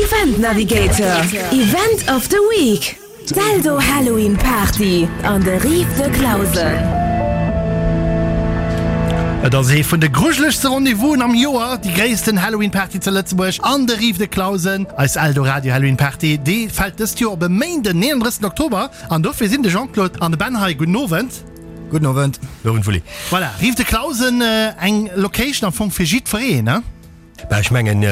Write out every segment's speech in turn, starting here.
Event Navigator, Event of the Week, D'Eldo Halloween Party an de Rives de Clausen. Et ass ee vun de grujelegste Rendez-vousen am Joer, déi gréissten Halloween Party zu Lëtzebuerg an de Rives de Clausen. Eis Eldoradio Halloween Party, déi fält dëst Joer op e Méinden, 39 Oktober. An dofir sinn de Jean-Claude an de Ben hei. Gudden Owend. Gudden Owend. Gudden Owend, Wulli. Voilà, Rives de Clausen, eng Location am Fong fir jiddwereen, ne? Bah, ech mengen,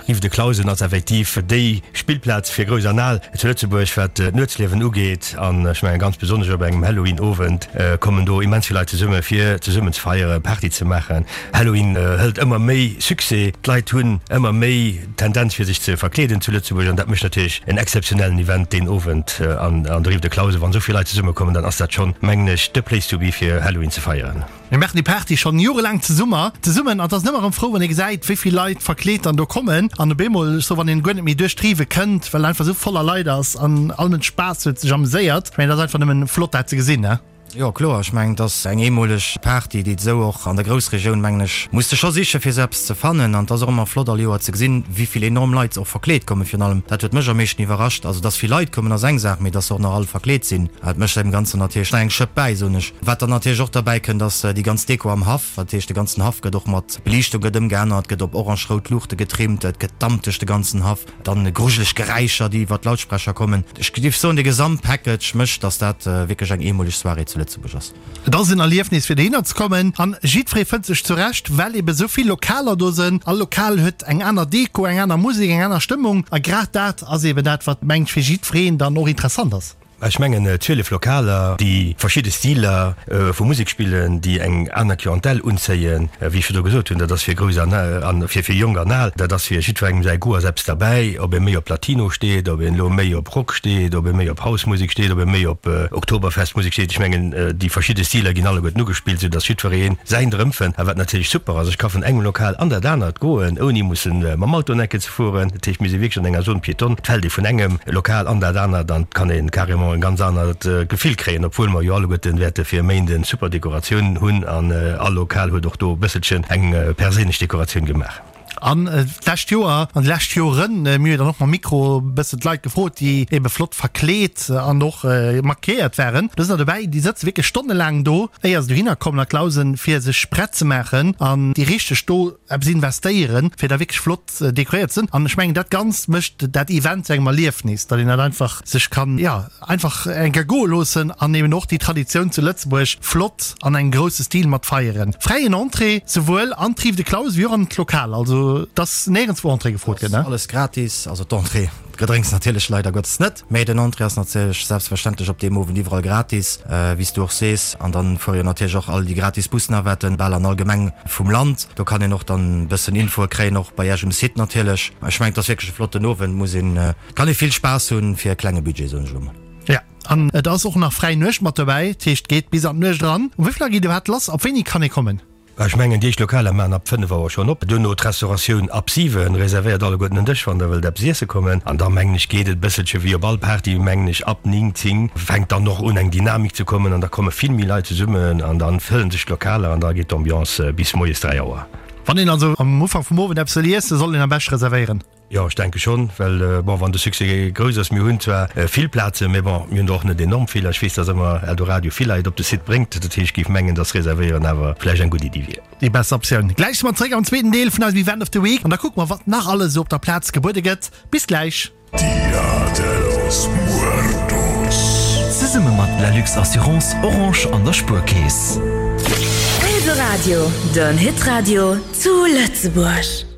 Rives de Clausen ass effektiv déi Spillplaz fir Grouss an Al zu Lëtzebuerg, wat d'Nuetsliewen ugeet. An ech mengen, ganz besonnesch op engem Halloween-Owend kommen do immens vill Leit zesumme fir zesummen ze feieren, Party ze maachen. Halloween hëlt ëmmer méi Succès, d'Leit hunn ëmmer méi d'Tendenz fir sech ze verkleeden zu Lëtzebuerg an dat mécht natierlech en exzeptionellen Event deen Owend an der Rive de Clausen. Wann esou vill Leit zesummekommen, dann ass dat schonn, mengen ech, the place to be fir Halloween ze feieren. Mir maachen déi Party schonn jorelaang zesummer zesummen an et ass ëmmer erëm frou wann ee gesäit wéi vill Leit verkleet dann do kommen an op eemol, ech soe wann een guer net méi duerch d'Rive kënnt, well einfach esou voller Leit ass an all Mënsch Spaass huet, sech ameséiert. Ech mengen et ass einfach nëmmen flott dat ze gesinn, ne? Jo kloer, ech mengen et ass eng eemoleg Party déi et esou och an der Groussregioun mengen ech muss de scho siche fir esou eppes ze fannen an et ass och ëmmer flott all Joer ze gesinn wéi vill enorm Leit och verkleet kommen. Virun allem dat huet mech am meeschten iwwerrascht, also dass vill Leit kommen ass eng Saach, mee dass se och nach all verkleet sinn, dat mécht deem Ganzen natierlech nach eng Schëpp bäi, soen ech. Wat dann natierlech och derbäi kënnt, ass déi ganz Deko am Haff. Dat heescht, de ganzen Haff gëtt och mat Beliichtung gëtt ëmgeännert, gëtt op orange-rout Luuchte getrimmt, et gëtt Damp duerch de ganzen Haff, dann grujeleg Geräischer, déi iwwer d'Lautsprecher kommen. Ech géif soen, de Gesamtpackage mécht, dass dat wierklech eng eemoleg Soirée zu Lëtzebuerg ass. Et ass en Erliefnis fir dohinner ze kommen an jiddweree fënnt sech zurecht, well ebe sou vill Lokaler do sënn. All Lokal huet eng aner Deko, eng aner Musek, eng aner Stëmmung a grad dat ass eben dat, wat mengt fir jiddwereen dann och interessant ass. Ech mengen 12 Lokaler, déi verschidde Stiler vu Musek spillen, déi eng aner Clientèle unzéien. Wéi ech virdru gesot hunn, dat ass fir Grouss an an fir fir Jonk an Al, dat ass fir jiddwerengem säi Goût ass eppes derbäi, ob ee méi op Latino steet, ob een elo méi op Rock steet, ob ee méi op House-Musek steet, ob ee méi op Oktoberfest-Musek steet. Ech mengen déi verschidde Stiler ginn alleguerten ugespillt, esou datt jiddweree säin drëmfënnt. A wat natierlech super ass, ech ka vun engem Lokal an dat anert goen, ouni mussen mam Auto en Ecke ze fueren. Dat heescht, mir si wierklech an enger Zone piétonne. Et fält ee vun engem Lokal an dat anert an et kann ee carrément e ganz anert Gefill kréien, obwuel mer jo alleguerten wäerte fir e Méinden super Dekoratiounen hunn an all Lokal huet och do e bësselchen eng perséinlech Dekoratioun gemaach. An d'lescht Joer an déi lescht Joren, mir hu jo dann och mam Mikro e bëssen d'Leit gefrot, déi ebe flott verkleet an och maquilléiert waren, do sinn der dobäi, déi sëtze wierklech stonnelaang do, éier se dohinner kommen a Clausen, fir sech prett ze maachen an déi richteg do eppes investéieren, fir da wierklech flott dekoréiert sinn an ech mengen dat Ganzt mécht dat Event zu engem Erliefnis, datt een dat einfach sech kann, jo, einfach eng Kéier goe loossen an eben och déi Traditioun zu Lëtzebuerg flott an engem grousse Stil mat feieren. Fräien Entrée, souwuel an d'Rive de Clausen wéi och an d'Lokal, also et ass néierens wou Entrée gefrot gëtt, ne? Alles gratis, also d'Entrée, d'Gedrénks natierlech leider Gottes net. Mee den Entrée ass natierlech selbstverständlech op deem Owend iwwerall gratis, wéi s du och sees. An dann fuere jo natierlech och all déi gratis Busnavetten bal an all Gemeng vum Land. Do kann een och dann e bëssen Infoe kréien, och bei Iech um Site natierlech. Ech mengen, et ass wierklech e flotten Owend, muss een, kann ee vill Spaass hunn fir e klenge Budget, soen ech elo mol. Jo, an et ass och nach fräi Nuecht mat dobäi, dat heescht, et geet bis an d'Nuecht eran. Um wéi vill Auer geet iwwerhaapt lass? Ab wéini kann ee kommen? Ech mengen, déi éischt Lokaler maachen ab 5 Auer schonn op, duerno d'Restauratioun ab 7. Reservéiert alleguerten en Dësch, wann der wëllt eppes iesse kommen. An da mengen ech, geet et e bësselche wéi op all Party, mengen ech, ab 9, 10 fänkt dann och un eng Dynamik ze kommen an da komme vill méi Leit zesummen an da fëllen sech d'Lokaler an da geet d'Ambiance bis moies 3 Auer. Wann een also am Ufank vum Owend eppes wëll iessen, soll een am beschte reservéieren. Jo, ech denke schonn, well bon, wann de Succès grouss ass, mir hunn zwar vill Plazen, mä bon, mir hunn der och net enorm vill a ech weess, dass ëmmer Eldoradio vill Leit op de Site bréngt. Dat heescht, ech géif mengen, dass Reservéieren awer vläicht eng gutt Iddi wier. Déi besser Optioun. Gläich si mer zeréck am zweeten Deel vun eisem Event of the Week an da kucke mer, wat nach alles esou op der Plaz gebuede gëtt. Bis gläich! Dia de los Muertos. Zesumme mat Lalux Assurance, Orange an der Spuerkeess. Eldoradio, den Hitradio zu Lëtzebuerg.